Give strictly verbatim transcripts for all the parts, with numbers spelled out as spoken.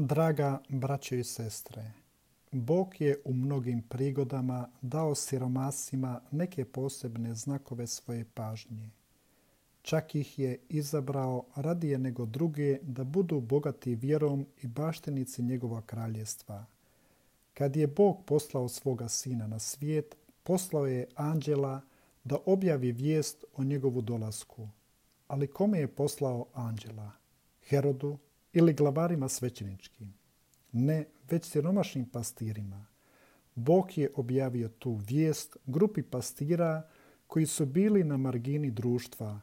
Draga braćo i sestre, Bog je u mnogim prigodama dao siromasima neke posebne znakove svoje pažnje. Čak ih je izabrao radije nego druge da budu bogati vjerom i baštinici njegova kraljevstva. Kad je Bog poslao svoga sina na svijet, poslao je anđela da objavi vijest o njegovu dolasku. Ali kome je poslao anđela? Herodu ili glavarima svećeničkim? Ne, već siromašnim pastirima. Bog je objavio tu vijest grupi pastira koji su bili na margini društva.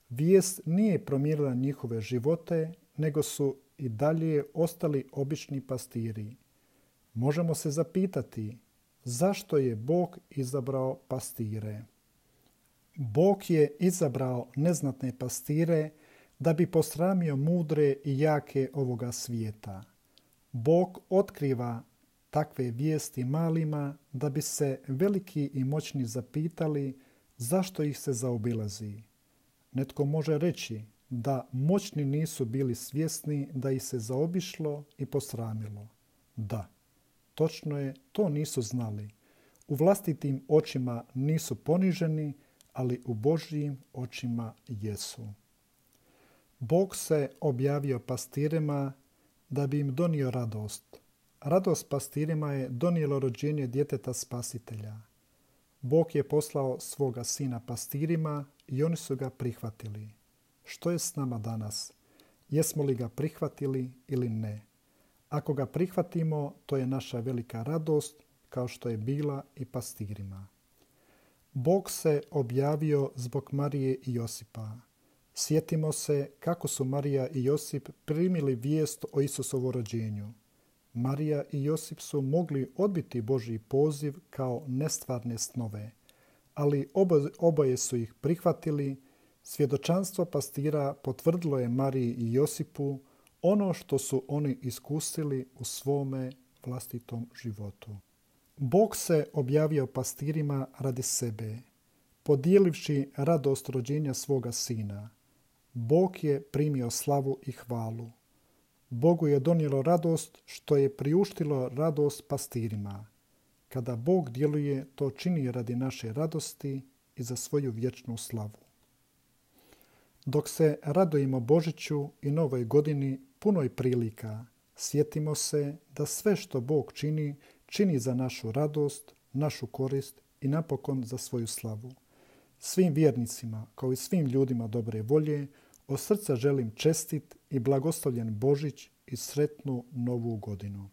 Vijest nije promijenila njihove živote, nego su i dalje ostali obični pastiri. Možemo se zapitati zašto je Bog izabrao pastire. Bog je izabrao neznatne pastire da bi posramio mudre i jake ovoga svijeta. Bog otkriva takve vijesti malima da bi se veliki i moćni zapitali zašto ih se zaobilazi. Netko može reći da moćni nisu bili svjesni da ih se zaobišlo i posramilo. Da, točno je, to nisu znali. U vlastitim očima nisu poniženi, ali u Božjim očima jesu. Bog se objavio pastirima da bi im donio radost. Radost pastirima je donijelo rođenje djeteta spasitelja. Bog je poslao svoga sina pastirima i oni su ga prihvatili. Što je s nama danas? Jesmo li ga prihvatili ili ne? Ako ga prihvatimo, to je naša velika radost, kao što je bila i pastirima. Bog se objavio zbog Marije i Josipa. Sjetimo se kako su Marija i Josip primili vijest o Isusovu rođenju. Marija i Josip su mogli odbiti Božji poziv kao nestvarne snove, ali oboje su ih prihvatili. Svjedočanstvo pastira potvrdilo je Mariji i Josipu ono što su oni iskusili u svome vlastitom životu. Bog se objavio pastirima radi sebe, podijelivši radost rođenja svoga sina. Bog je primio slavu i hvalu. Bogu je donijelo radost što je priuštilo radost pastirima. Kada Bog djeluje, to čini radi naše radosti i za svoju vječnu slavu. Dok se radujemo Božiću i Novoj godini punoj prilika, sjetimo se da sve što Bog čini, čini za našu radost, našu korist i napokon za svoju slavu. Svim vjernicima, kao i svim ljudima dobre volje, od srca želim čestit i blagoslovljen Božić i sretnu Novu godinu.